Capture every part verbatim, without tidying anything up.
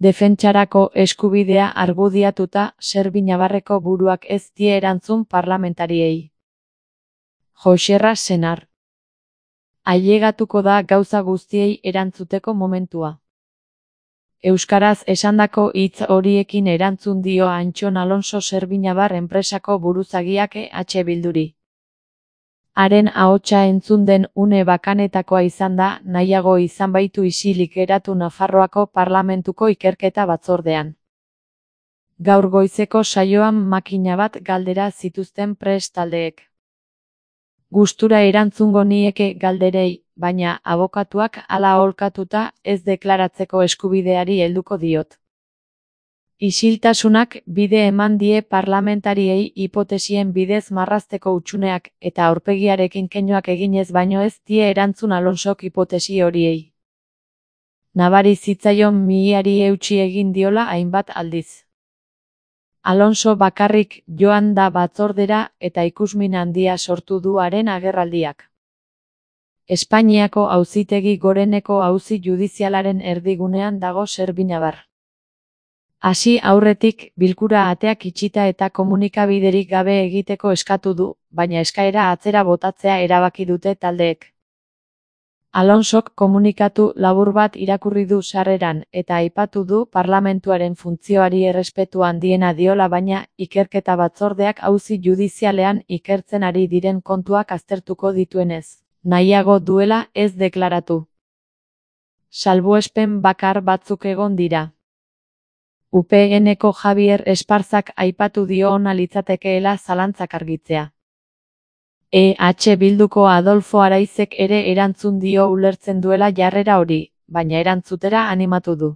Defentsarako eskubidea argudiatuta Serbia-Navarreko buruak ez die erantzun parlamentariei. Joxerra Senar. Ailegatuko da gauza guztiei erantzuteko momentua. Euskaraz esandako hitz horiekin erantzun dio Antxon Alonso Serbia-Navar enpresako buruzagiak E H Bilduri. Haren ahotsa entzun den une bakanetakoa izan da, nahiago izan baitu isilik geratu Nafarroako Parlamentuko ikerketa batzordean. Gaur goizeko saioan makina bat galdera zituzten prest taldeek. Gustura erantzungo nieke galderei, baina abokatuak hala aholkatuta ez deklaratzeko eskubideari helduko diot. Isiltasunak bide eman die parlamentariei hipotesien bidez marrazteko hutsuneak eta aurpegiarekin keinuak eginez baino ez die erantzun Alonsok hipotesi horiei. Nabari zitzaion mihiari eutsi egin diola hainbat aldiz. Alonso bakarrik joan da batzordera eta ikusmin handia sortu du haren agerraldiak. Espainiako Auzitegi Goreneko auzi judizialaren erdigunean dago Serbia-Navar. Hasi aurretik bilkura ateak itxita eta komunikabiderik gabe egiteko eskatu du, baina eskaera atzera botatzea erabaki dute taldeek. Alonsok komunikatu labur bat irakurri du sarreran eta aipatu du parlamentuaren funtzioari errespetu handiena diola baina ikerketa batzordeak auzi judizialean ikertzen ari diren kontuak aztertuko dituenez, nahiago duela ez deklaratu. Salbuespen bakar batzuk egon dira. U P N-ko Javier Esparzak aipatu dio ona litzatekeela zalantzak argitzea. E H Bilduko Adolfo Araizek ere erantzun dio ulertzen duela jarrera hori, baina erantzutera animatu du.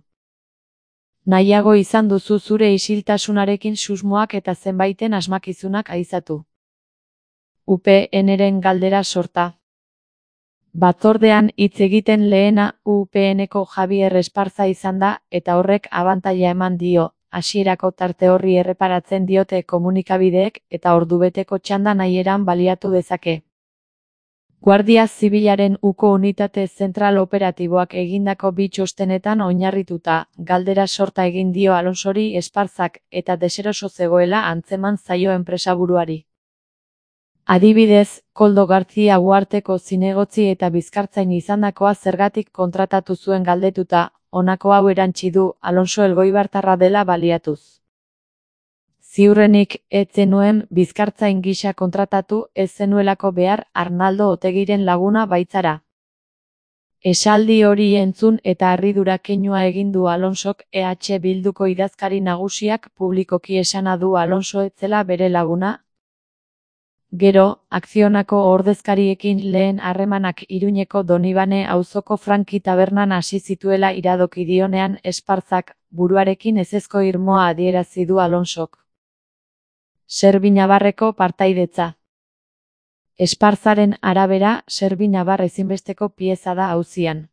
Nahiago izan duzu zure isiltasunarekin susmoak eta zenbaiten asmakizunak aizatu. U P N-ren galdera sorta. Batzordean hitz egiten lehena U P N-ko Javier Esparza izan da eta horrek abantaila eman dio, hasierako tarte horri erreparatzen diote komunikabideek eta ordubeteko txanda nahieran baliatu dezake. Guardia Zibilaren uko unitate zentral operatiboak egindako bi txostenetan oinarrituta, galdera sorta egin dio Alonsori Esparzak eta deseroso zegoela antzeman zaio enpresaburuari. Adibidez, Koldo Gartzia Uharteko zinegotzi eta bizkartzain izandakoa zergatik kontratatu zuen galdetuta, honako hau erantsi du Alonso elgoibartarra dela baliatuz. Ziurrenik, ez zenuen bizkartzain gisa kontratatu ez zenuelako behar Arnaldo Otegiren laguna baitzara. Esaldi hori entzun eta harridura keinua egin du Alonsok E H Bilduko idazkari nagusiak publikoki esana du Alonso ez zela bere laguna. Gero, Akzionako ordezkariekin lehen harremanak Iruñeko Donibane auzoko Franki tabernan hasi zituela iradoki dionean Esparzak, buruarekin ezezko irmoa adierazi du Alonsok. Serbia-Navarreko partaidetza. Esparzaren arabera, Serbia-Navar ezinbesteko pieza da auzian.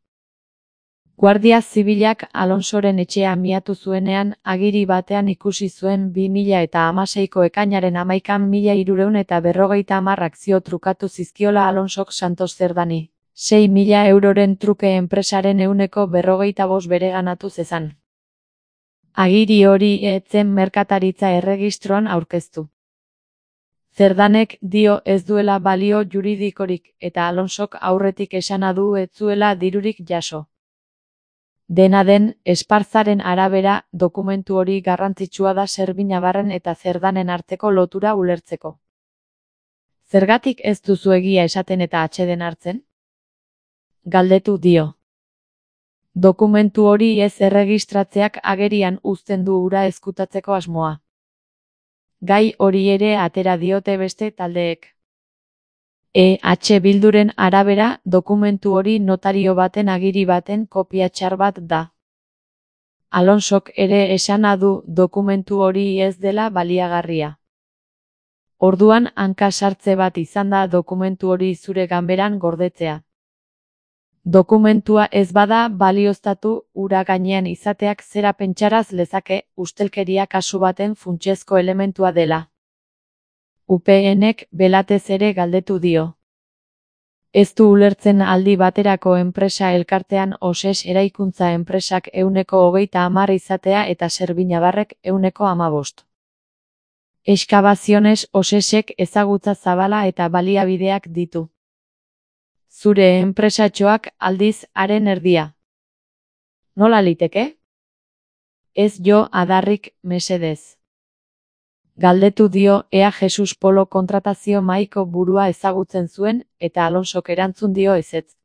Guardia Zibilak Alonsoren etxea miatu zuenean, agiri batean ikusi zuen bi mila eta hamaseiko ekainaren hamaikan mila hirurehun eta berrogeita hamar akzio trukatu zizkiola Alonsok Santos Zerdani. Sei mila euroren truke enpresaren ehuneko berrogeita bost bereganatu zezan. Agiri hori ez zen merkataritza erregistroan aurkeztu. Zerdanek dio ez duela balio juridikorik eta Alonsok aurretik esana du ez zuela dirurik jaso. Dena den, Esparzaren arabera, dokumentu hori garrantzitsua da Serbia-Navarren eta Zerdanen arteko lotura ulertzeko. Zergatik ez duzu egia esaten eta atseden hartzen? Galdetu dio. Dokumentu hori ez erregistratzeak agerian uzten du hura ezkutatzeko asmoa. Gai hori ere atera diote beste taldeek. E H Bilduren arabera, dokumentu hori notario baten agiri baten kopia txar bat da. Alonsok ere esana du dokumentu hori ez dela baliagarria. Orduan hanka sartze bat izan da dokumentu hori zure ganberan gordetzea. Dokumentua ez bada balioztatu, hura gainean izateak zera pentsaraz lezake, ustelkeria kasu baten funtsezko elementua dela. U P N-ek belatez ere galdetu dio. Ez du ulertzen aldi baterako enpresa elkartean Oses eraikuntza enpresak ehuneko hogeita hamar izatea eta Servinabarrek ehuneko hamabost. Eskabaziones Osesek ezagutza zabala eta baliabideak ditu. Zure enpresatxoak aldiz haren erdia. Nola liteke? Ez jo adarrik, mesedez. Galdetu dio ea Jesus Polo kontratazio mahaiko burua ezagutzen zuen eta Alonsok erantzun dio ezetz.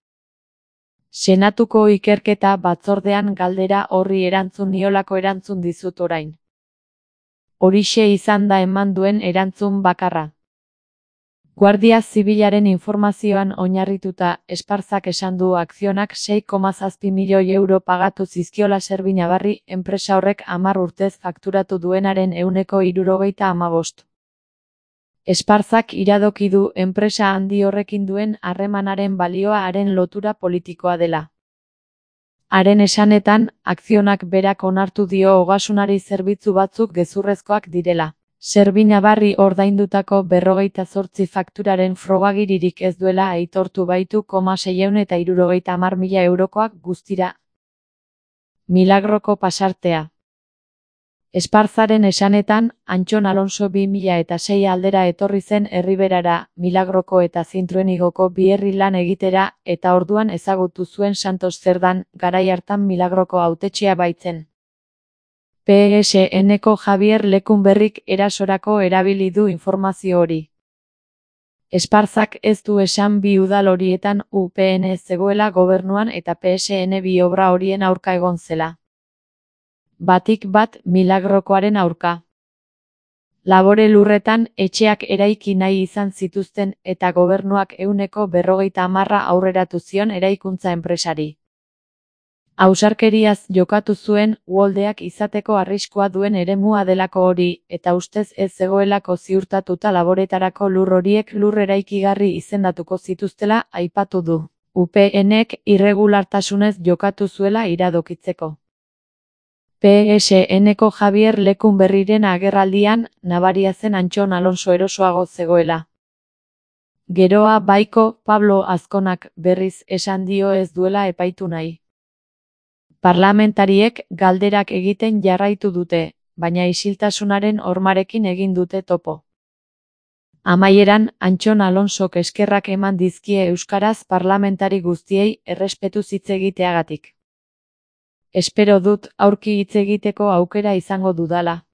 Senatuko ikerketa batzordean galdera horri erantzun niolako erantzun dizut orain. Horixe izan da eman duen erantzun bakarra. Guardia Zibilaren informazioan oinarrituta, Esparzak esan du akzionak sei koma zazpi milioi euro pagatu zizkiola Servinabarri enpresa horrek hamar urtez fakturatu duenaren ehuneko hirurogeita hamabost. Esparzak iradoki du enpresa handi horrekin duen harremanaren balioa haren lotura politikoa dela. Haren esanetan, akzionak berak onartu dio ogasunari zerbitzu batzuk gezurrezkoak direla. Servinabarri ordaindutako berrogeita zortzi fakturaren frogagiririk ez duela aitortu baitu koma seiehun eta hirurogeita hamar mila eurokoak guztira. Milagroko pasartea. Esparzaren esanetan, Antxon Alonso bi mila eta sei aldera etorri zen Erriberara, Milagroko eta Zintruenigoko bi herri lan egitera, eta orduan ezagutu zuen Santos Zerdan, garai hartan Milagroko hautetxea baitzen. P S N-ko Javier Lekunberrik erasorako erabili du informazio hori. Esparzak ez du esan bi udal horietan U P N zegoela gobernuan eta P S N bi obra horien aurka egon zela. Batik bat Milagrokoaren aurka. Labore lurretan etxeak eraiki nahi izan zituzten eta gobernuak ehuneko berrogeita hamarra aurreratu zion eraikuntza enpresari. Ausarkeriaz jokatu zuen, uholdeak izateko arriskua duen eremua delako hori, eta ustez ez zegoelako ziurtatuta laboretarako lur horiek lur eraikigarri izendatuko zituztela aipatu du. U P N-ek irregulartasunez jokatu zuela iradokitzeko. P S N-ko Javier Lekunberriren agerraldian, nabaria zen Antxon Alonso erosoago zegoela. Geroa baiko, Pablo Azkonak berriz esan dio ez duela epaitu nahi. Parlamentariek galderak egiten jarraitu dute, baina isiltasunaren hormarekin egin dute topo. Amaieran, Antxon Alonsok eskerrak eman dizkie euskaraz parlamentari guztiei errespetuz hitz egiteagatik. Espero dut aurki hitz egiteko aukera izango dudala.